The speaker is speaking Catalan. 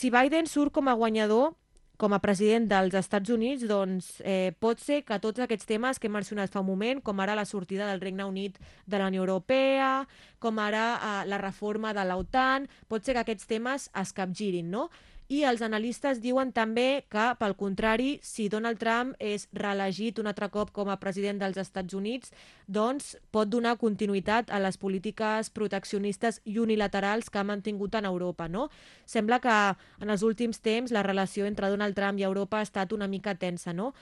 si Biden surt com a guanyador, com a president dels Estats Units, doncs pot ser que tots aquests temes que hem mencionat fa un moment, com ara la sortida del Regne Unit de la Unió Europea, com ara la reforma de l'OTAN, pot ser que aquests temes es capgirin, no? I els analistes diuen també que, pel contrari, si Donald Trump és reelegit un altre cop com a president dels Estats Units, doncs pot donar continuïtat a les polítiques proteccionistes i unilaterals que ha mantingut en Europa, no? Sembla que en els últims temps la relació entre Donald Trump i Europa ha estat una mica tensa, no?